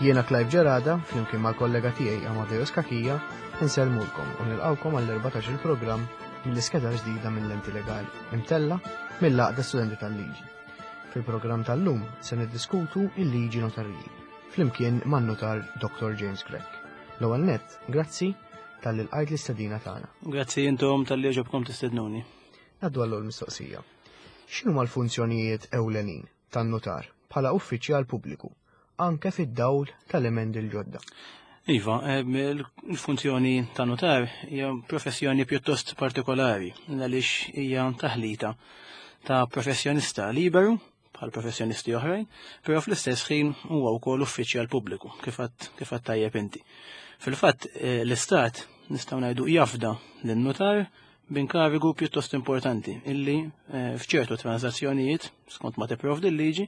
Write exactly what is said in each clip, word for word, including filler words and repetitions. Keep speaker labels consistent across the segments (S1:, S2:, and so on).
S1: Jiena Clive Gerada, flimkien mal-kollega tiegħi Amadeus Cachia, insellmulkom u nilqawkom għall-erbatax il-programm mill-iskeda ġdida minn Lenti Legali, imtella mill-Għaqda Studenti tal-Liġi. Fil-programm tal-lum se niddiskutu il-liġi notarili, flimkien man-notar Doctor James Grech. L-ewwel nett, grazzi talli lqajt l-istedina tagħna.
S2: Grazzi intom talli għoġobkom tistednuni.
S1: Ngħaddu għall mistoqsija. X'inhuma l-funzjonijiet ewlenin tan-notar bħala uffiċjal pubbliku, anke fid-dawl tal-emendi l-ġodda?
S2: Iva, il-funzjoni ta' notar hija professjoni pjuttost partikolari, għaliex hija taħlita ta' professjonista liberu bħal professjonisti oħrajn, però fl-istess ħin huwa wkoll uffiċjal pubbliku, kif għedt tajjeb inti. Fil-fatt eh, l-Istat nistgħu ngħidu jafda lin-notar b'inkarigu pjuttost importanti illi eh, f'ċertu transazzjonijiet skont ma tipprovdi l-liġi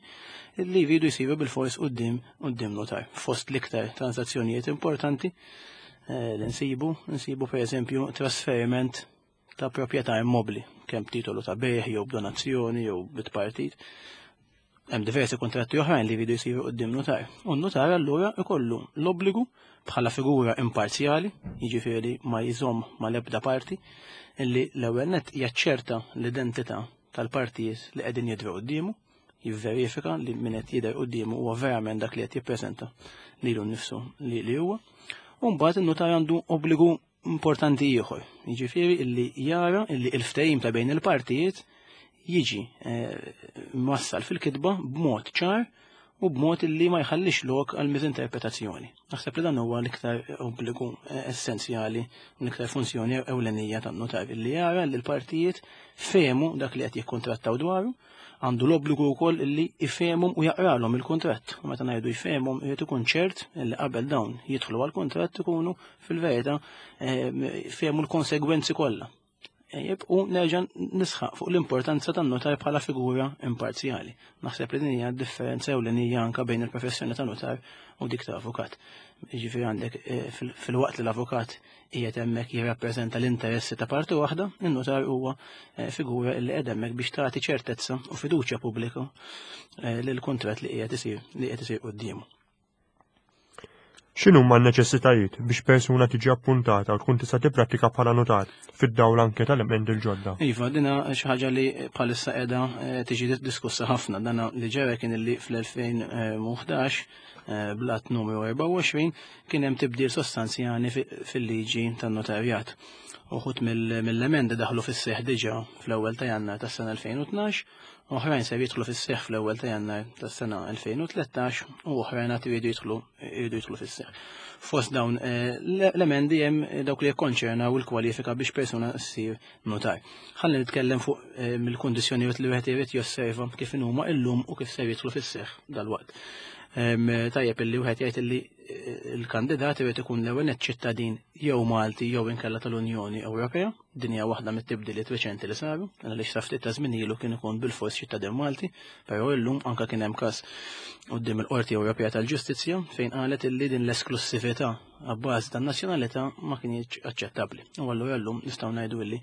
S2: illi jridu jsiru bil-fors quddiem quddiem notar. Fost l-iktar transazzjonijiet importanti eh, li nsibu, nsibu pereżempju trasferiment ta' proprjetà immobli, kemm titolu ta' bejgħ jew b'donazzjoni jew bit-partit. Hemm diversi kontratti oħrajn li jridu jsiru quddiem notar. U n-notar allura ikollu l-obbligu bħala figura imparzjali, jiġifieri ma jżomm mal-ebda parti, illi l-ewwel nett jaċċerta l-identità tal-partijiet li qegħdin jidhru quddiemu, jivverifika li min qed jidher quddiemu huwa verament dak li qed jippreżenta lilu nnifsu li li huwa. U mbagħad in-notar għandu obbligu importanti ieħor, jiġifieri illi jara illi l-ftehim ta' bejn il-partijiet jiġi eh, mwassal fil-kitba b'mod ċar u b'mod illi ma jħallix lok għal miżinterpretazzjoni. Naħseb li dan huwa l-iktar obbligu eh, essenzjali, l-iktar funzjoni ewlenija tan-notar illi jara li l-partijiet fehmu dak li qed jikkontrattaw dwaru, għandu l-obbligu wkoll illi ifehmhom u jaqralhom il-kuntratt. U meta ngħidu jfehmhom irid ikun ċert illi qabel dawn jidħlu għall-kuntratt ikunu fil-verità eh, fehmu l-konsegwenzi kollha. Ejjeb, u nerġa' nisħaq fuq l-importanza tan-notar bħala figura imparzjali. Naħseb li din hija differenza ewlenija anke bejn il-professjoni ta' notar u dik ta' avukat. Jiġifieri għandek eh, fil-waqt li l-avukat qiegħed hemmhekk jirrappreżenta l-interessi ta' parti waħda, in-notar huwa eh, figura li qiegħed hemmhekk biex tagħti ċertezza u fiduċja pubblika eh, lil kuntratt li qiegħed isir li qiegħed isir quddiemu.
S3: X'inhuma n-neċessitajiet biex persuna tiġi appuntata u tkun tista' tipprattika bħala notar fid-dawl anke tal-emendi l-ġodda?
S2: Iva, dina xi ħaġa li bħalissa qiegħda eh, tiġi diskussa ħafna. Dana li ġara kien li fl-elfejn u ħdax eh, bl-att numru erbgħa u għoxrin kien hemm tibdil sostanzjali fil-liġi tan-notarjat. Uħud mill-emendi daħlu fis-seħħ diġà fl-ewwel ta' Jannar tas-sena elfejn u tnax, oħrajn se jidħlu fis-seħħ fl-ewwel ta' Jannar tas-sena elfejn u tlettax u oħrajn għad iridu jidħlu iridu jidħlu fis-seħħ. Fost dawn, eh, l-emendi hemm dawk li jikkonċernaw il-kwalifika biex persuna ssir notar. Ħalli nitkellem fuq, eh, mill-kundizzjonijiet li wieħed irid josserva kif inhuma illum u kif se jidħlu fis-seħħ dalwaqt. Em, tajjeb illi wieħed jgħid illi, eh, il-kandidat irid ikun l-ewwel nett ċittadin jew Malti jew inkella tal-Unjoni Ewropea. Din hija waħda mit-tibdiliet reċenti li saru, għaliex sa ftit ta' żmien ilu kien ikun bil-fors ċittadin Malti, però illum anke kien hemm każ quddiem il-Qorti Ewropea tal-Ġustizzja fejn qalet illi din l-esklussività għabbażi tan-nazzjonalità ma kienx aċċettabbli. U allura llum nistgħu ngħidu illi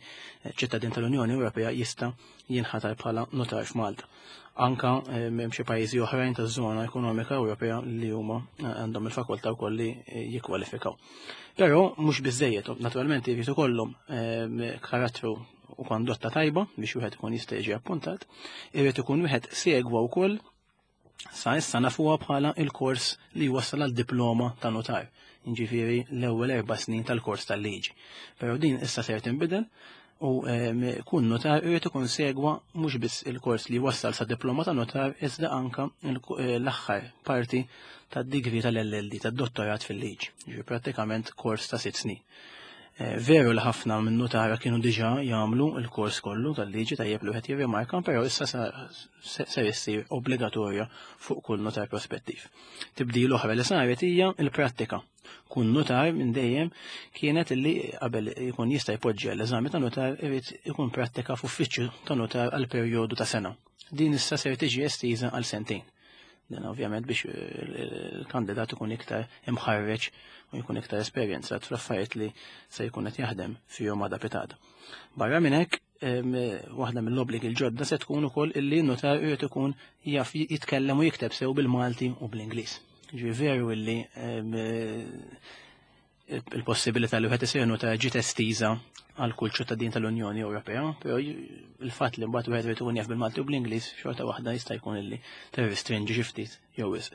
S2: ċittadin tal-Unjoni Ewropea jista' jinħatar bħala notar f'Malta. Anka, eh, hemm xi pajjiżi oħrajn taż-żona ekonomika Ewropea li huma, eh, għandhom il-fakultà wkoll li, eh, jikkwalifikaw. Però mhux biżejjed, naturalment jrid ikollhom, eh, karattru u kondotta tajba biex wieħed ikun jista' jiġi appuntat, irid ikun wieħed segwa wkoll sa issa nafuha bħala il-kors li jwassal għal diploma ta' notar, jiġifieri l-ewwel erba' snin tal-kors tal-liġi. Però din issa ser tinbidel u, ehm, kun notar irid ikun segwa mhux biss il-kors li wassal sa diploma ta' notar iżda anka il-ku-, eh, l-aħħar parti tad-degree tal-L L D, tad-dottorat fil-liġi, ġifieri prattikament kors ta' sitt snin. Eh, veru li ħafna minn notara kienu diġà jagħmlu l-kors kollu tal-liġi, tajjeb li wieħed jirrimarka, però issa sa-, se-, ser issir obbligatorja fuq kull notar prospettiv. Tibdil oħra li saret hija l-prattika. Kun notar minn dejjem kienet illi qabel ikun jista' jpoġġi l-eżami ta' notar irid ikun prattika f'uffiċċju ta' notar għal perjodu ta' sena. Din issa ser tiġi estiża għal sentejn. Dan ovvjament biex il-kandidat ikun iktar imħarreġ u jkun iktar esperjenzat fl-affarijiet li se jkun qed jaħdem fihom għada pitada. Barra minn hekk, em, waħda mill-obbligi l-ġodda se tkun ukoll illi n-notar irid ikun jaf jitkellem u jikteb sew bil-Malti u bl-Ingliż. Ġifieri veru illi il-possibilità li wieħed isir notar ġiet estiża għal kull ċittadin tal-Unjoni Ewropea, però il-fatt li mbagħad wieħed irid ikun jaf bil-Malti u bl-Ingliż xorta waħda jista' jkun illi tirrestrinġi xi ftit jew wisq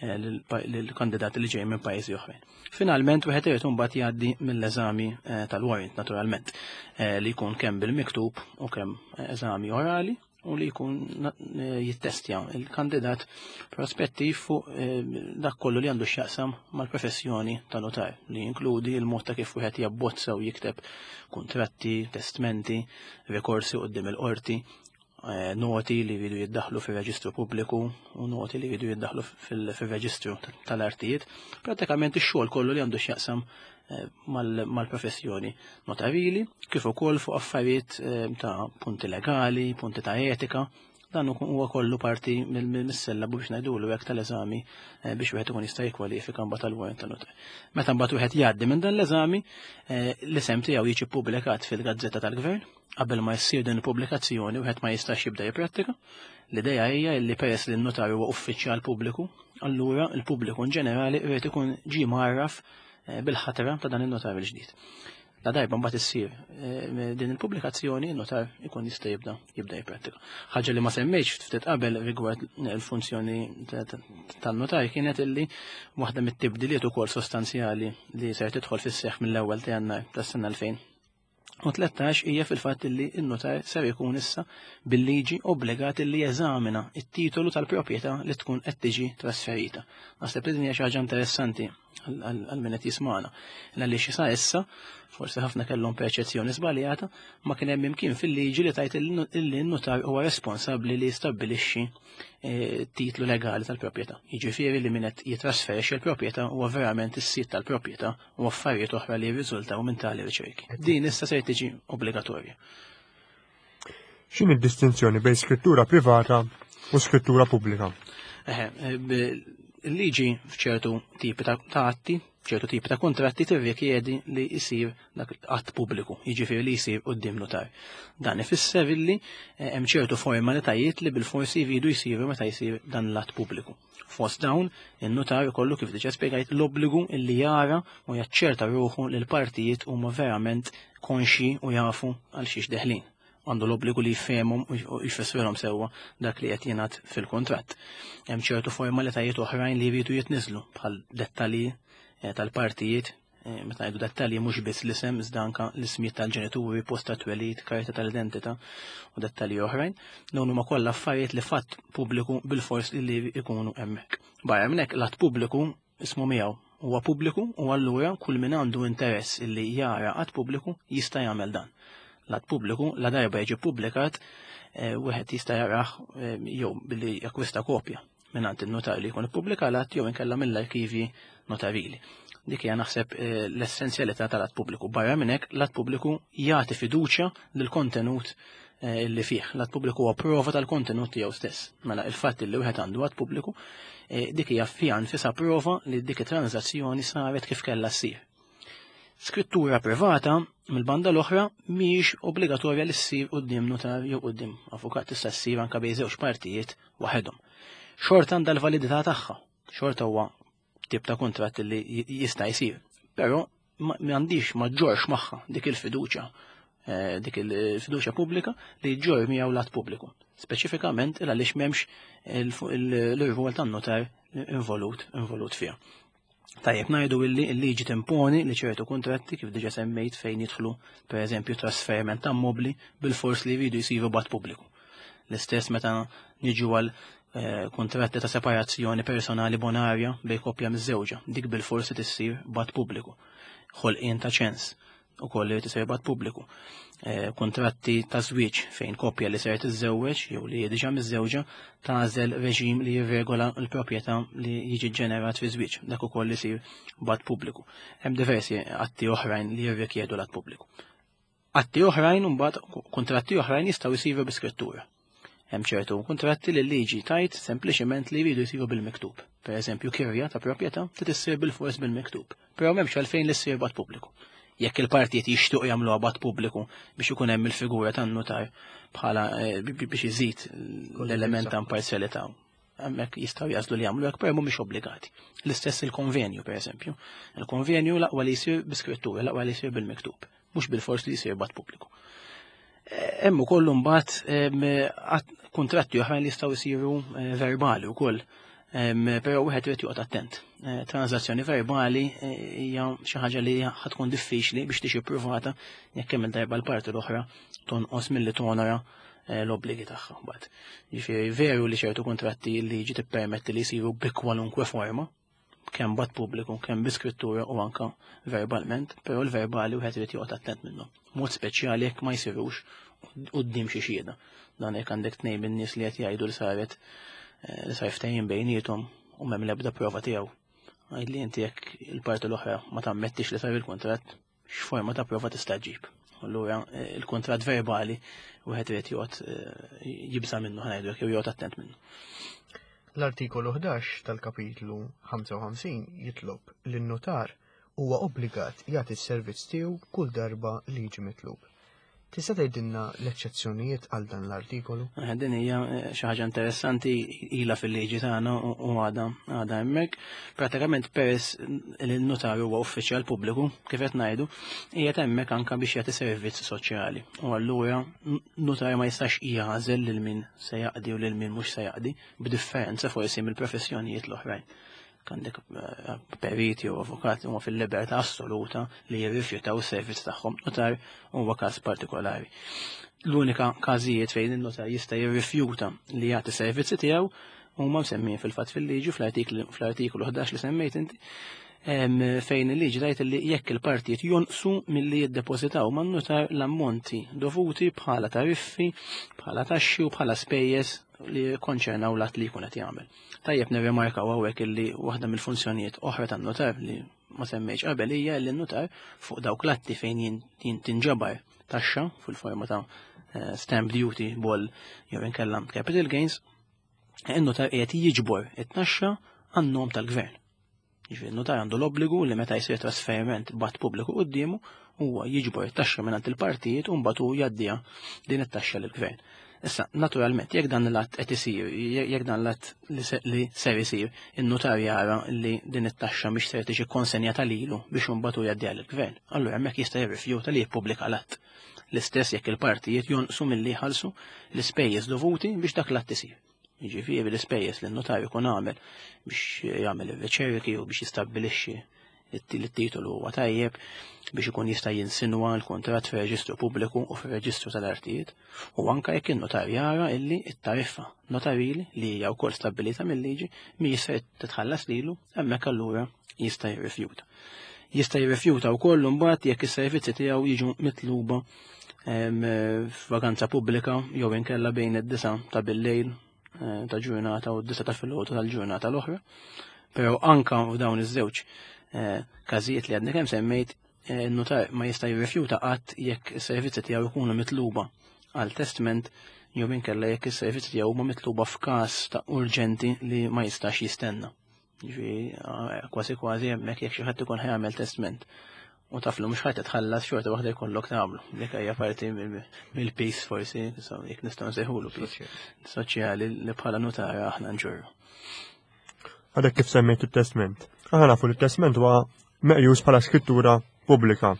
S2: lill-kandidati li ġejjin minn pajjiżi oħrajn. Finalment wieħed irid imbagħad jgħaddi mill-eżami tal-warrant naturalment, li jkun kemm bil-miktub u kemm eżami orali, u li jkun jittestja il-kandidat prospettiv fuq dak kollu li għandu x'jaqsam mal-professjoni ta' notar, li jinkludi il-mod ta' kif wieħed jabbozza u jikteb kuntratti, testmenti, rikorsi quddiem il-qorti, noti li jridu jiddaħlu fir-reġistru pubbliku u noti li jridu jiddaħlu fil-reġistru tal-artijiet. Pratikament ix-xogħol kollu li għandu x'jaqsam mal-professjoni notarili, kif ukoll fuq affarijiet ta' punti legali, punti ta' etika. Dan huwa kollu parti mis-sellabu biex ngħidulu hekk tal-eżami biex wieħed ikun jista' jikkwalifika mbagħad għall-warrant ta' notar. Meta mbagħad wieħed jgħaddi minn dan l-eżami, l-isem tiegħu jiġi ppubblikat fil-Gazzetta tal-Gvern. Qabel ma jsir din il-pubblikazzjoni wieħed ma jistax jibda jipprattika. L-idea hija li peress li n-notar huwa uffiċjal pubbliku, allura l-pubbliku in ġenerali jrid ikun ġie mgħarraf bil-ħatra ta' dan in-notar il-ġdid. La darba mbagħad issir din il-pubblikazzjoni, n-notar ikun jista' jibda jibda jipprattika. Ħaġa li ma semmejtx ftit qabel rigward il-funzjoni tan-notar kienet illi waħda mit-tibdiliet ukoll sostanzjali li ser tidħol fis-seħħ mill-ewwel ta' Jannar tas-sena elfejn u tlettax hija fil-fatt illi n-notar ser ikun issa bil-liġi obbligat illi jeżamina it-titolu tal-proprjetà li tkun qed tiġi trasferita. Naħseb li din hija xi ħaġa interessanti għal min qed jismagħna. Għaliex sa issa, forsi ħafna kellhom perċezzjoni żbaljata, ma kien hemm imkien fil-liġi li tajt illi n-notar huwa responsabbli li jistabbilixxi titlu legali tal-proprjetà. Jiġifieri li min qed jitrasferixxi l-proprjetà huwa verament is-sid tal-proprjetà u affarijiet oħra li jirriżultaw minn tali riċerki. Din issa se tiġi obbligatorja.
S3: X'inhi d-distinzjoni bejn skrittura privata u skrittura pubblika?
S2: Eħe, il-liġi f'ċertu tipi ta' atti, ċertu tipi ta' kontratti tirrikjedi li jsir dak att pubbliku, jiġifieri li jsir quddiem notar. Dan ifisser illi hemm ċertu formalitajiet li bil-forsi jridu jsiru meta jsir dan l-att pubbliku. Fost dawn, in-notar ikollu kif diġà spjegajt l-obbligu illi jara u jaċċerta ruħu li l-partijiet huma verament konxji u jafu għal xiex deħlin. Għandu l-obbligu li jfehmhom u jfissrilhom sewwa dak li qed jingħad fil-kuntratt. Hemm ċertu formalitajiet oħrajn li jridu jitniżlu bħal dettalji tal-partijiet, meta ngħidu dettalji mhux biss l-isem iżda anke l-ismijiet tal-ġenituri, post ta' twelid, karta tal-identità u dettalji oħrajn. Dawn huma kollha affarijiet li fatt pubbliku bil-fors li jkunu hemmhekk. Barra minn hekk l-att pubbliku ismu miegħu huwa pubbliku u allura kull min għandu interess illi jara att pubbliku jista' jagħmel dan. L-att pubbliku la darba jiġi ppubblikat, wieħed jista' jarah jew billi jakkwista kopja mingħand in-notar li jkun ippubblika l-att jew inkella mill-arkivji notarili. Dik hija naħseb l-essenzjalità tal-att pubbliku. Barra minn hekk l-att pubbliku jagħti fiduċja lill-kontenut li fih. L-att pubbliku huwa prova tal-kontenut tiegħu stess. Mela il-fatt li wieħed għandu att pubbliku, dik hija fiha nfisha prova li dik it-transazzjoni saret kif kellha ssir. Skrittura privata mill-banda l-oħra mhijiex obbligatorja li ssir quddiem notar jew quddiem avukat, tista' ssir anke bejn żewġ partijiet waħedhom. Xorta għandha l-validità tagħha, xorta huwa tip ta' kuntratt li jista' jsir, però ma għandix ma ġġorx magħha dik il-fiduċja, dik il-fiduċja pubblika li ġġorr miegħu l-att pubbliku. Speċifikament il għaliex m'hemmx l-irwol tan-notar involut, involut fiha. Tajjeb ngħidu illi l-liġi timponi li ċertu kuntratti kif diġà semmejt fejn jidħlu pereżempju trasferiment ta' mobli bil-fors li jridu jsiru b'att pubbliku. L-istess meta niġu għal kuntratti ta' separazzjoni personali bonarja bejn koppja miż-żewġa, dik bil-forsi tissir b'att pubbliku. Ħolqien ta' ċens ukoll li tisir b'att pubbliku. Kuntratti ta' żwieġ fejn koppja li ser tiżżewweġ jew li hi diġà miżżewġa tagħżel reġim li jirregola l-proprjetà li jiġi ġenerat fi żwieġ, dak ukoll isir b'att pubbliku. Hemm diversi atti oħrajn li jirrikjedu l-att pubbliku. Atti oħrajn imbagħad kuntratti oħrajn jistgħu jsiru bi skrittura. Hemm ċertu kuntratti li l-liġi tajt sempliċement li jridu jsiru bil-miktub. Per eżempju, kirja ta' proprjetà trid issir bil-fors bil-miktub, però m'hemmx għalfejn li ssir b'att pubbliku. Jekk il-partijiet jixtiequ jagħmluha b'att pubbliku biex ikun hemm il-figura tan-notar bħala biex iżid l-element ta' imparzjalità Hemmhekk jistgħu jagħżlu li jagħmlu hekk, però mhumiex obbligati. L-istess il-konvenju, pereżempju. Il-konvenju l-aqwa li jsir bi skrittura, l-aqwa li jsir bil-miktub, mhux bil-fors li jsir b'att pubbliku. Hemm ukoll imbagħad kuntratti oħrajn li jistgħu jsiru eh, verbali wkoll. Però wieħed irid joqgħod attent. Eh, transazzjoni verbali eh, hija xi ħaġa li ħa tkun diffiċli biex tiġi ppruvata jekk kemm il-darba l-parti l-oħra tonqos milli tonora l-obbligi tagħha mbagħad. Jiġifieri veru li ċertu kuntratti li liġi tippermetti li jsiru bi kwalunkwe forma, kemm b'att pubbliku, kemm bi skrittura u anka verbalment, però l-verbali wieħed irid joqgħod attent minnhom. Mod speċjali jekk ma jsirux quddiem xi xhieda. Dan jekk għandek tnejn min-nies li qed jgħidu li saret eh, li sar ftehim bejniethom u m'hemm l-ebda prova tiegħu. Għid li inti jekk il-parti l-oħra ma tammettix li sar il-kuntratt, x'forma ta' prova tista' ġġib? Allura eh, il-kuntratt verbali wieħed irid joqgħod eh, jibża' minnu, ħa ngħidu, jew joqgħod attent minnu.
S1: L-artikolu ħdax tal-kapitlu ħamsa u ħamsin jitlob li n-notar huwa obbligat jagħti s-servizz tiegħu kull darba li jiġi mitlub. Tista' tgħidilna l-eċċezzjonijiet għal dan l-artikolu?
S2: Eh, din hija eh, xi ħaġa interessanti, ilha fil-liġi tagħna u għadha għadha hemmhekk. Pratikament, peress li n-notar huwa uffiċjal pubbliku, kif qed ngħidu, qiegħed hemmhekk anke biex jagħti servizz soċjali. U allura notar ma jistax jagħżel lil min se jaqdi u lil min mhux se jaqdi, b'differenza forsi mill-professjonijiet l-oħrajn. Għandek eh, periti u avukati huma fil-libertà assoluta li jirrifjutaw is-servizz tagħhom. Notar huwa każ partikolari. L-unika każijiet fejn il-notar jista' jirrifjuta li jagħti servizzi tiegħu huma msemmijin fil-fatt fil-liġi fl-artikolu ħdax li semmejt inti, fejn il-liġi tgħid li jekk il-partijiet jonqsu milli jiddepożitaw man-notar l-ammonti dovuti bħala tariffi, bħala taxxi u bħala spejjeż li konċernaw l-att li jkun qed jagħmel. Tajjeb nirrimarkaw hawnhekk illi waħda mill-funzjonijiet oħra tan-notar li ma semmejtx qabel hija li n-notar fuq dawk l-atti fejn tinġabar taxxa fil-forma ta' eh, stamp duty, boll jew inkella capital gains, in-notar qiegħed jiġbor it-taxxa għan-nom tal-gvern. Jiġifieri n-notar għandu l-obbligu li meta jsir trasferiment b'att pubbliku quddiemu, huwa jiġbor it-taxxa mingħand il-partijiet u mbagħad hu jgħaddiha din it-taxxa lill-gvern. Issa, naturalment, jekk dan l-att qed isir, jekk dan l-att li ser isir, in-notar jara li din it-taxxa mhix ser tiġi konsenjata lilu biex imbagħad hu jgħaddiha lill-gvern. Allura hemmhekk jista' jirrifjuta li jippubblika l-att. L-istess jekk il-partijiet jonqsu milli jħallsu l-ispejjeż dovuti biex dak l-att isir. Jiġifieri l-ispejjeż li n-notar ikun għamel biex jagħmel ir-riċerki u biex jistabbilixxi li t-titolu huwa tajjeb biex ikun jista' jinsinwa l-kuntratt fir-reġistru pubbliku u fir-reġistru tal-artijiet, u anke jekk in-notar jara illi t-tariffa notarili, li hija wkoll stabbilita mill-liġi, mhijiex se titħallas lilu, hemmhekk allura jista' jirrifjuta. Jista' jirrifjuta wkoll imbagħad jekk is-servizzi tiegħu jiġu mitluba f'vaganza pubblika jew inkella bejn id-disgħa ta' bil-lejl eh, ta' ġurnata u d-disgħa ta' filgħodu tal-ġurnata l-oħra. Però anka f'dawn iż-żewġ eh, każijiet li għadni kemm semmejt, eh, notar ma jista' jirrifjuta qatt jekk is-servizzi tiegħu jkunu mitluba għal testment jew inkella jekk is-servizzi tiegħu huma mitluba f'każ ta' urġenti li ma jistax jistenna. Ġifieri kważi kważi hemmhekk jekk xi ħadd ikun ħa jagħmel testment u taf li mhux ħa titħallas, xorta waħda jkollok tagħmlu. Dik hija parti mill-piż forsi, jekk nistgħu nsejħulu piż soċjali li bħala nutara aħna nġorru.
S3: Għadek kif semmejt it-testment. Aħna nafu li t-testment huwa meqjus bħala skrittura pubblika.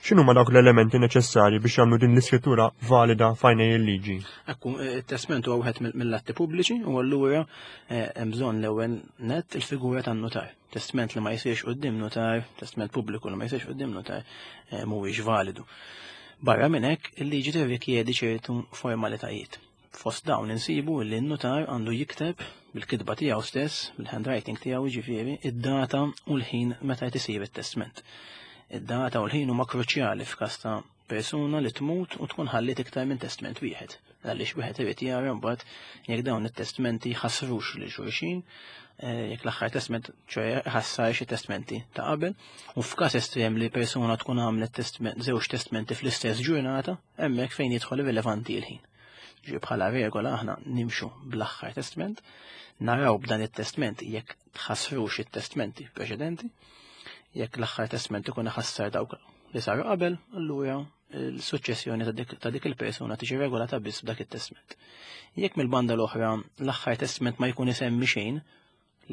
S3: X'inhu ma dawk l-elementi neċessarji biex jagħmlu din l-iskrittura valida f'għajnej il-liġi?
S2: Ekku, it-testment huwa wieħed mill-atti pubbliċi u allura eh, hemm bżonn l-ewwel net il-figura tan-notar. Testment li ma jsirx quddiem notar, testment pubbliku li ma jsirx quddiem notar eh, mhuwiex validu. Barra minn hekk, il-liġi tirrikjedi ċertu formalitajiet. Fost dawn insibu li n-notar għandu jikteb bil-kitba tiegħu stess, bil-handwriting tiegħu ġifieri, id-data u l-ħin meta qed isir it-testment. Id-data u l-ħin huma kruċjali f'każ ta' persuna li tmut u tkun ħallit iktar minn testment wieħed. Għaliex wieħed irid jara mbagħad jekk dawn it-testmenti ħassrux lil xulxin, eh, jekk l-aħħar testment ċoè ħassar xi testmenti ta' qabel, u f'każ estrem li persuna tkun għamlet testment, żewġ testmenti fl-istess ġurnata, hemmhekk fejn jidħol rilevanti l-ħin. Ġi bħala regola aħna nimxu bl-aħħar testment, naraw b'dan it-testment jekk tħassrux it-testmenti preċedenti, jekk l-aħħar testment ikun ħassar dawk li saru qabel, allura l-suċċessjoni ta' dik il-persuna tiġi regolata biss b'dak it-testment. Jekk mill-banda l-oħra l-aħħar testment ma jkun isemmi xejn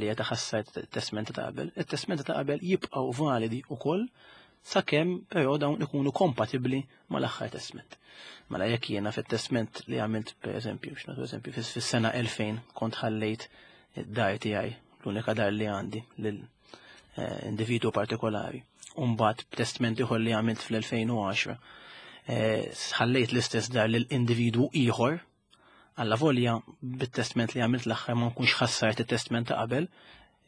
S2: li qed iħassar it-testment ta' qabel, it-testment ta' qabel jibqgħu validi wkoll sakemm però dawn ikunu kompatibbli mal-aħħar testment. Mela jekk jiena fit-testment li għamilt, pereżempju, x'nagħtu eżempju, fis-sena elfejn kont ħallejt id-dar tiegħi, l-unika dar li għandi, lil individwu partikolari. U mbagħad b'testment ieħor li għamilt fl-elfejn u għaxra ħallejt l-istess dar lil individwu ieħor, alla volja bit-testment li għamilt l-aħħar ma nkunx ħassart it-testment ta' qabel,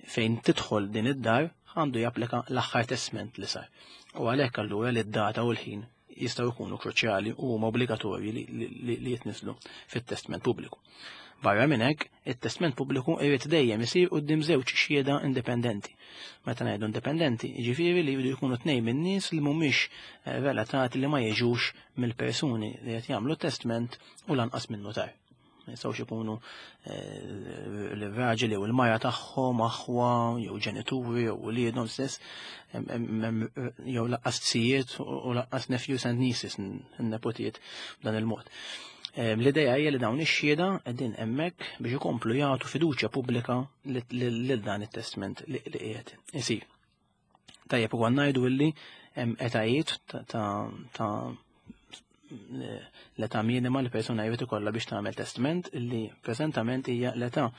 S2: fejn tidħol din id-dar għandu japplika l-aħħar testment li sar. U għalhekk allura li d-data u l-ħin jistgħu jkunu kruċjali u huma obbligatorji li jitniżlu fit-testment pubbliku. Barra minn hekk, it-testment pubbliku irid dejjem isir quddiem żewġ xhieda indipendenti. Meta ngħidu indipendenti, jiġifieri li jridu jkunu tnejn min-nies li mhumiex relatati, li ma jiġux mill-persuni li qed jagħmlu testment u lanqas minn notar. Ma jistgħux ikunu l-raġel jew il-mara tagħhom, aħwa, jew ġenituri, jew uliedhom stess, jew laqqas tzijiet u laqqas nephews and nieces, nepotijiet b'dan il-mod. L-idea hija li dawn ix-xhieda qegħdin hemmhekk biex ikomplu jagħtu fiduċja pubblika lil dan it-testment li qiegħed isir. Tajjeb ukoll ngħidu illi hemm etajiet ta' l-età minima li persuna jrid ikollha biex tagħmel testament, illi preżentament hija l-età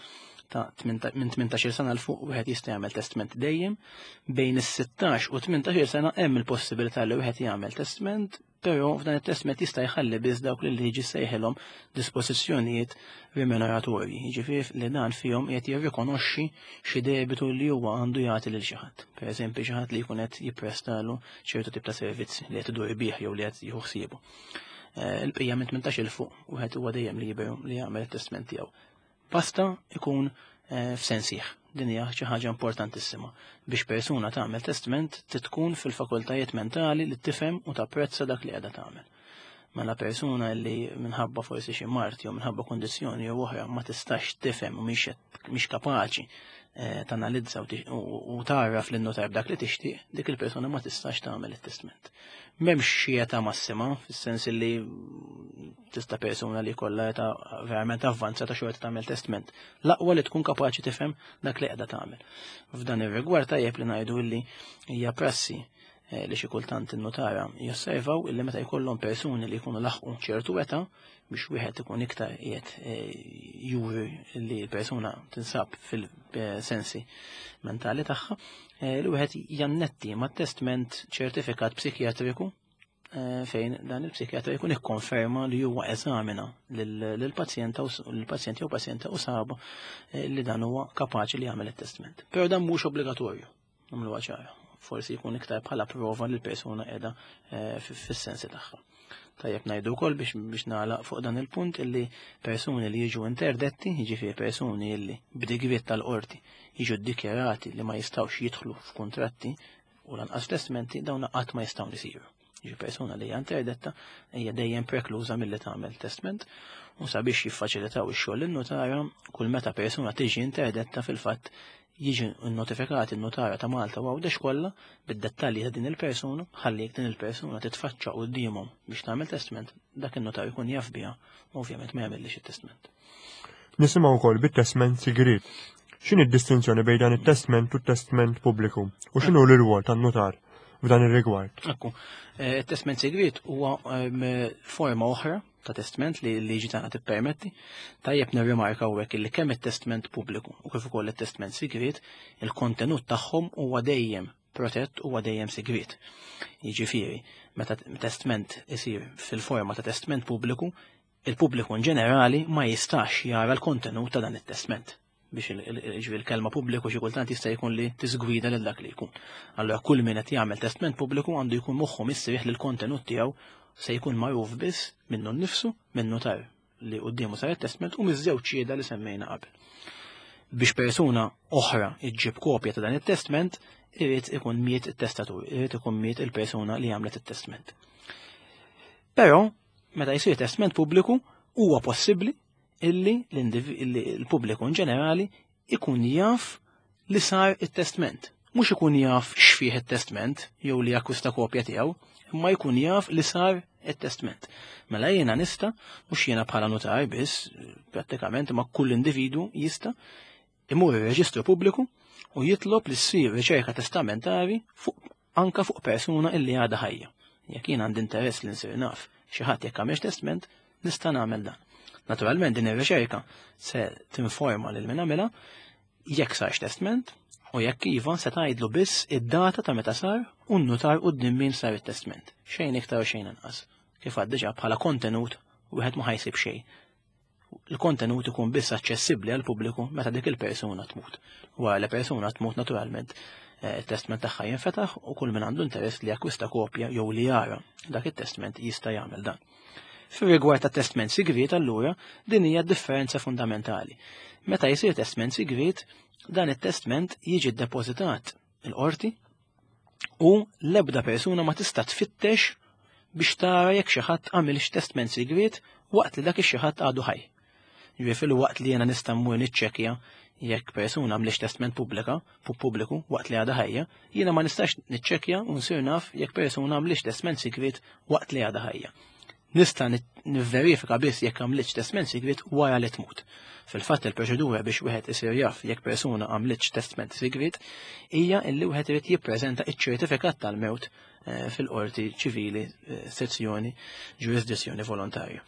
S2: ta' minn tmintax-il sena l fuq wieħed jista' jagħmel testament dejjem, bejn is-sittax u tmintax-il sena hemm il-possibilità li wieħed jagħmel testament, però f'dan it-testament jista' jħalli biss dawk li liġi sejħilhom dispożizzjonijiet remuneratorji, jiġifieri li dan fihom qed jirrikonoxxi xi debitu li huwa għandu jagħti lil xi ħadd. Pereżempju xi ħadd li jkun qed jipprestalu ċertu tip ta' servizzi li qed idur bih jew li qed jieħu ħsiebu. Il-bqija minn tmintax il fuq wieħed huwa dejjem liberu li jagħmel it-testament tiegħu. Basta ikun f'sensih. Din hija xi ħaġa importantissima. Biex persuna tagħmel testament titkun fil-fakultajiet mentali li tifhem u tapprezza dak li qiegħda tagħmel. Mela persuna li minħabba forsi xi mard jew minħabba kundizzjoni jew oħra ma tistax tifhem u mhix kapaċi tanalizza u tagħraf lin notar b'dak li tixtieq, dik il-persuna ma tistax tagħmel it-testament. M'hemmx xi età massima, fis-sens li tista' persuna li jkollha età verament avvanzata xorta tagħmel testament. L-aqwa li tkun kapaċi tifhem dak li qiegħda tagħmel. F'dan ir-rigward tajjeb li ngħidu li hija prassi li xi kultant in-notara josservaw illi meta jkollhom persuni li jkunu laħqu ċertu età biex wieħed ikun iktar qiegħed juri li l-persuna tinsab fil-sensi mentali tagħha, li wieħed jannetti mat-testament ċertifikat psikjatriku fejn dan il-psikjatra jkun ikkonferma li huwa eżamina lill-pazjenta lill-pazjent jew pazjenta u saba li dan huwa kapaċi li jagħmel it-testament. Però dan mhux obbligatorju, nagħmluha ċara. Forsi jkun iktar bħala prova li l-persuna qiegħda fis-sensi tagħha. Tajjeb ngħidu wkoll biex biex nagħlaq fuq dan il-punt illi persuni li jiġu interdetti, jiġifieri persuni illi b'digriet tal-qorti jiġu ddikjarati li ma jistgħux jidħlu f'kuntratti u lanqas testamenti, dawn qatt ma jistgħu jsiru. Jiġi persuna li hija interdetta hija dejjem prekluża milli tagħmel testament, u sabiex jiffaċilitaw ix-xogħol lin-notara, kull meta persuna tiġi interdetta fil-fatt jiġi notifikati n-notara ta' Malta u Għawdex kollha bid-dettalji ta' din il-persuna, ħalli jekk din il-persuna titfaċċa qudiemhom biex tagħmel testament, dak in-notar jkun jaf biha u ovvjament ma jagħmellix it-testament.
S3: Nisimgħu wkoll bit-testament sigriet. X'inhi d-distinzjoni bejn dan it-testament u t-testament pubbliku u x'inhu l-irwol tan-notar f'dan ir-rigward?
S2: Ekku, it-testament sigriet huwa forma oħra ta' testament li l-liġi tagħna tippermetti. Tajjeb nirrimarka hawnhekk illi kemm it-testament pubbliku u kif ukoll it-testament sigriet, il-kontenut tagħhom huwa dejjem protett huwa dejjem sigriet. Jiġifieri, meta testament isir fil-forma ta' testament pubbliku, il-pubbliku in ġenerali ma jistax jara l-kontenut ta' dan it-testament. Biex il-kelma pubbliku xi kultant jista' jkun li tiżgwida lil dak li jkun. Allura kull min qed jagħmel testament pubbliku għandu jkun moħħu mistrieħ li l-kontenut tiegħu se jkun magħruf biss minnu nnifsu, minn notar li quddiemu sar it-testament u miż-żewġ xhieda li semmejna qabel. Biex persuna oħra iġġib kopja ta' dan it-testament, irid ikun miet it-testatur, irid ikun miet il-persuna li għamlet it-testament. Però, meta jsir testament pubbliku, huwa possibbli illi l-pubbliku in ġenerali ikun jaf li sar it-testament Mhux ikun jaf x'fih it-testment jew li jakkwista kopja tiegħu, imma jkun jaf li sar it-testment. Mela jiena nista', mhux jiena bħala notar biss, prattikament ma kull individu jista' imur ir-reġistru pubbliku u jitlob li ssir riċerka testamentari fuq anka fuq persuna illi għadha ħajja. Jekk jien għandi interess li nsir naf xi ħadd jekk għamilx testament, nista' nagħmel dan. Naturalment din ir-riċerka se tinforma lil min għamilha jekk sarx testament u jekk iva se tgħidlu biss id-data ta' meta sar u n-nutar quddiem min sar it-testament. Xejn iktar u xejn inqas. Kif għad diġà bħala kontenut wieħed ma ħajsib xejn. Il-kontenut ikun biss aċċessibbli għal pubbliku meta dik il-persuna tmut. Wara li persuna tmut naturalment it-testament tagħha jinfetaħ u kull min għandu interess li jakkwista kopja jew li jara dak it-testament jista' jagħmel dan. Fir-rigward ta' testament sigriet allura din hija differenza fundamentali. Meta jsir testament sigriet, dan it-testament jiġi ddepożitat il-qorti u l-ebda persuna ma tista' tfittex biex tara jekk xi ħadd għamilx testament sigriet waqt li dak ix-xi ħadd għadu ħaj. Ġifieri fil-waqt li jiena nista' mmur niċċekkja jekk persuna għamlix testament pubblika, pubbliku waqt li għadha ħajja, jiena ma nistax niċċekkja u nsir naf jekk persuna għamlix testament sigriet waqt li għadha ħajja. Nista' nivverifika biss jekk għamlitx testament sigriet wara li tmut. Fil-fatt il-proċedura biex wieħed isir jaf jekk persuna għamlitx testament sigriet hija illi wieħed irid jippreżenta iċ-ċertifikat tal-mewt fil-qorti ċivili sezzjoni ġurisdizzjoni volontarja.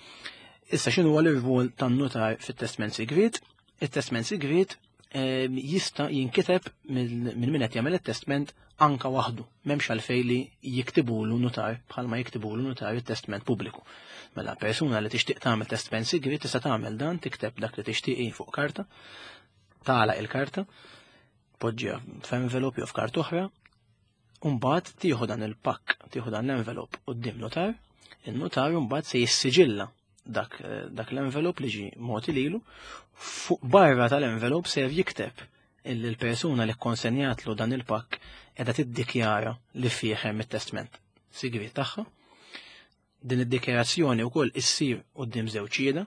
S2: Issa x'inhu huwa l-irwol tan-notar fit-testament sigriet? Il-testament sigriet jista' jinkiteb minn min qed jagħmel it-testament anka waħdu, m'hemmx għalfejn li jiktibulu notar bħalma jiktibulu notar it-testament pubbliku. Mela persuna li tixtieq tagħmel testament sigriet tista' tagħmel dan, tikteb dak li tixtieqi fuq karta, tagħlaq il-karta, poġġiha f'envelop jew f'karta oħra, u mbagħad tieħu dan il-pakk, tieħu dan l-envelop quddiem notar, in-notar mbagħad se jissiġilla dak, dak l-envelop li ġi mogħti lilu, fuq barra tal-envelop se jikteb illi l-persuna li konsenjatlu dan il-pakk qiegħda tiddikjara li fih hemm it-testament sigriet tagħha. Din id-dikjarazzjoni wkoll issir quddiem żewġ xhieda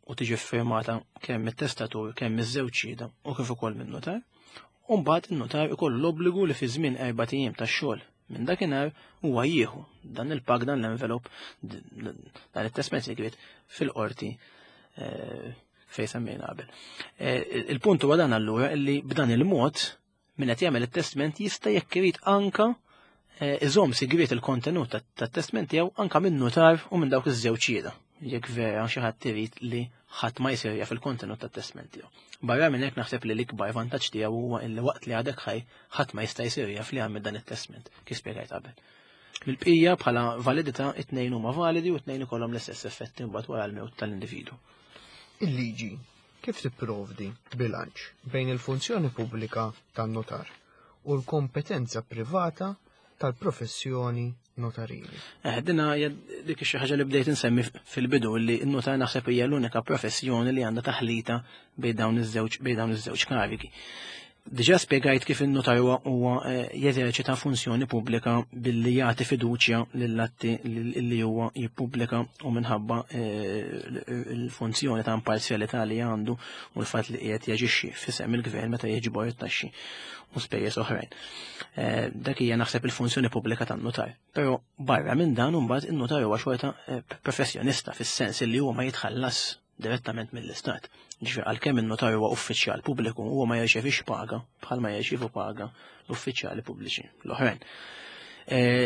S2: u tiġi ffirmata kemm mit-testatur kemm miż-żewġ xhieda u kif ukoll min-notar. U mbagħad in-notar ikollu l-obbligu li fi żmien erba' ijiem tax-xogħol minn dakinhar huwa jieħu dan il-pak, dan l-envelop, dan it-testament sigriet fil-qorti fejn semmejna qabel. Il-punt huwa dan allura illi b'dan il-mod min qed jagħmel it-testament jista' jekk irid anka iżomm sigriet il-kontenut tat-testament tiegħu anka minn notar u minn dawk iż-żewġ xhieda jekk vera xi ħadd irid li ħadd ma jsir jaf il-kontenut tat-testament tiegħu. Barra minn hekk naħseb li l-ikbar vantaġġ tiegħu huwa illi waqt li għadek ħaj ħadd ma jista' jsir jaf li għamel dan it-testament kif spjegajt qabel. Mill-bqija bħala validità it-tnejn huma validi u t-tnejn ikollhom l-istess effetti mbagħad wara l-mewt tal-individwu.
S1: Il-liġi kif tipprovdi bilanċ bejn il-funzjoni pubblika tan-notar u l-kompetenza privata tal-professjoni notarili?
S2: Eh, dina hija dik xi ħaġa li bdejt insemmi fil-bidu li n-notar naħseb hija l-unika professjoni li għandha taħlita bejn dawn iż-żewġ bejn dawn iż-żewġ karigi. Diġà spjegajt kif in-notar huwa jeżerċita funzjoni pubblika billi jagħti fiduċja lill-atti li huwa jippubblika u minħabba l-funzjoni ta' imparzjalità li għandu u l-fatt li qiegħed jaġixxi f'isem il-gvern meta jiġbor it-taxxi u spejjeż oħrajn. Dak hija naħseb il-funzjoni pubblika tan-notar. Però barra minn dan imbagħad in-notar huwa xorta professjonista fis-sens li huwa ma jitħallas direttament mill-istat. Ġifieri għalkemm in-notar huwa uffiċjal pubbliku huwa ma jirċevix paga bħalma jirċievu paga l-uffiċjali pubbliċi l-oħrajn.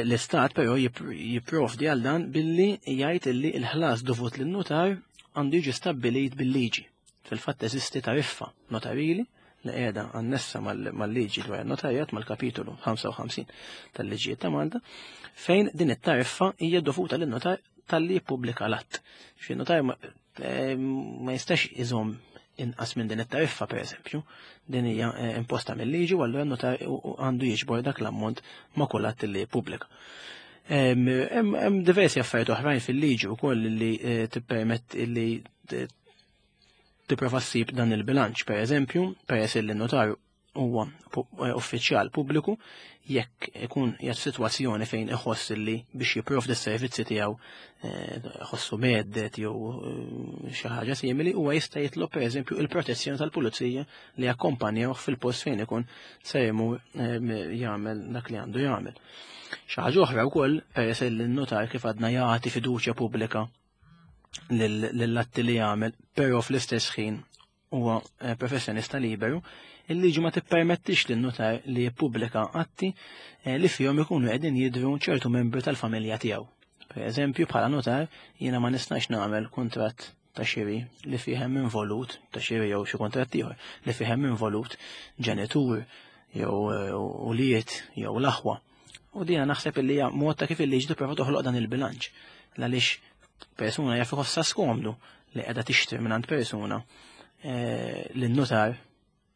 S2: L-istat però jipprovdi għal dan billi jgħid illi l-ħlas dovut lin-notar għandu jiġi stabbilit bil-liġi. Fil-fatt teżisti tariffa notarili li qiegħda annessa mal-liġi dwar in-notarjat mal-kapitolu ħamsa u ħamsin tal-liġijiet ta' Malta, fejn din it-tariffa hija dovuta lin-notar talli jippubblika l-att. Xi notar ma jistax iżomm inqas minn din it-tariffa pereżempju, din hija imposta mill-liġi u allura n-notar għandu jiġbor dak l-ammont ma' kull att li jippubblika. Hemm diversi affarijiet oħrajn fil-liġi wkoll li tippermett li tipprova ssib dan il-bilanċ, pereżempju, peress li n-notar huwa uffiċjal pubbliku, jekk ikun qiegħed f'sitwazzjoni fejn iħoss li biex jipprovdi s-servizzi tiegħu ħossu mhedded jew xi ħaġa simili, huwa jista' jitlob pereżempju il-protezzjoni tal-pulizija li jakkompanjawh fil-post fejn ikun se jmur jagħmel dak li għandu jagħmel. Xi ħaġa oħra wkoll, peress li n-notar kif għadna jagħti fiduċja pubblika lill-atti li jagħmel, però fl-istess ħin huwa professjonista liberu, il-liġi ma tippermettix lin-notar li jippubblika atti li fihom ikunu qegħdin jidhru ċertu membri tal-familja tiegħu. Per eżempju, bħala notar jiena ma nistax nagħmel kuntratt ta' xiri li fih hemm involut, ta' xiri jew xi kuntratt ieħor li fih hemm involut ġenitur jew ulied jew l-aħwa. U dina naħseb li hija mod ta' kif il-liġi tipprova toħloq dan il-bilanċ. Għaliex persuna jaf iħossha skomdu li qiegħda tixtri mingħand persuna li n-notar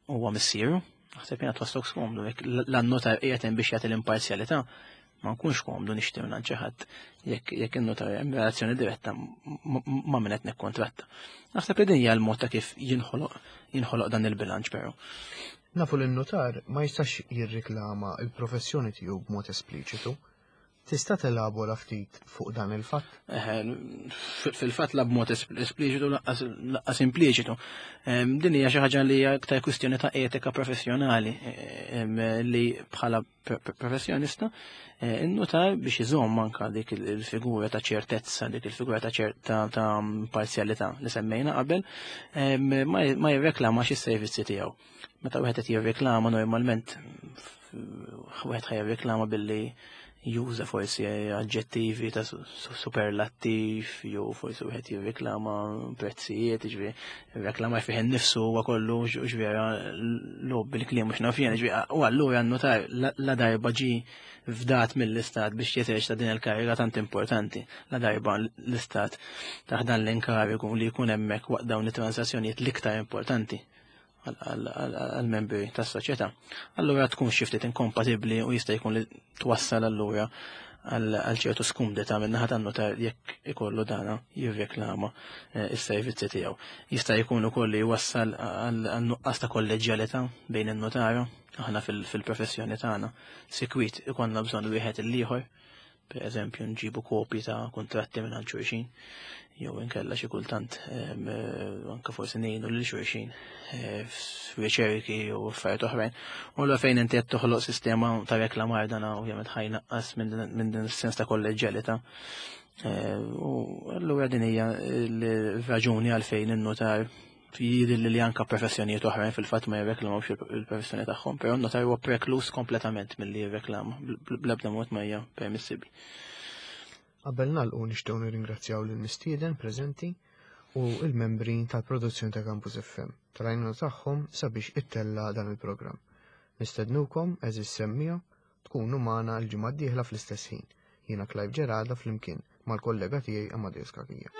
S2: huwa missieru, naħseb jiena twaslok skomdu, jekk l-notar qiegħed hemm biex jagħti l-imparzjalità, ma nkunx komdu nixtri mingħand xi ħadd jekk jekk in-notar hemm relazzjoni diretta ma' min qed nikkontratta. Naħseb li din hija l-mod ta' kif jinħoloq jinħoloq dan il-bilanċ però.
S1: Nafu li n-notar ma jistax jirriklama il-professjoni tiegħu b'mod espliċitu. Tista' telabora ftit fuq dan il-fatt?
S2: Fil-fatt la b'mod espliċitu laqqas impliċitu. Din hija xi ħaġa li hija aktar kwistjoni ta' etika professjonali li bħala professjonista in-notar biex iżomm anka dik il-figura ta' ċertezza, dik il-figura ta' ċerta ta' parzjalità li semmejna qabel, ma jirreklamax is-servizzi tiegħu. Meta wieħed qed jirreklama normalment wieħed ħa jirreklama billi juża forsi aġġettivi ta' superlattiv, jew forsi wieħed jirreklama prezzijiet, jiġifieri reklama fih innifsu huwa kollu ġvera logħob bil-kliem mhux naf jien, jiġifieri u allura n-notar la darba ġie fdat mill-istat biex jeżerċita din il-kariga tant importanti, la darba l-istat taħ dan l-inkarigu li jkun hemmhekk waqt dawn it-transazzjonijiet l-iktar importanti għal-membri tas-soċjetà. Allura tkun xi ftit inkompatibbli u jista' jkun li twassal allura għal ċertu skumdità min-naħa tan-notar jekk ikollu dana jirreklama s-servizzi tiegħu. Jista' jkun ukoll li jwassal għal nuqqas ta' kolleġjalità bejn in-notara. Aħna fil-professjoni tagħna sikwit ikollna bżonn wieħed il-ieħor, per eżempju nġibu kopji ta' kuntratti minn xulxin, jew inkella xi kultant anke forsi ngħinu lil xulxin f'riċerki u affarijiet oħrajn. U allura fejn inti qed toħloq sistema ta' reklamar dan ovvjament ħajnaqqas minn din is-sens ta' kolleġjalità. U allura din hija l-raġuni għalfejn in-notar jidhir li anke professjonijiet oħrajn fil-fatt ma jirreklamawx il-professjoni tagħhom, però n-notar huwa preklus kompletament milli jirreklama, bl-ebda mod ma hija permissibbli.
S1: Qabel nagħlqu nixtiequ nirringrazzjaw lill-mistieden preżenti u l-membri tal-produzzjoni ta' Campus F M tal-għajnuna tagħhom sabiex ittella dan il-programm. Nistednukom għeżież semmija tkunu magħna l-ġimgħa d-dieħla fl-istess ħin. Jiena Clive Gerada flimkien mal-kollega tiegħi Amadeus Cachia.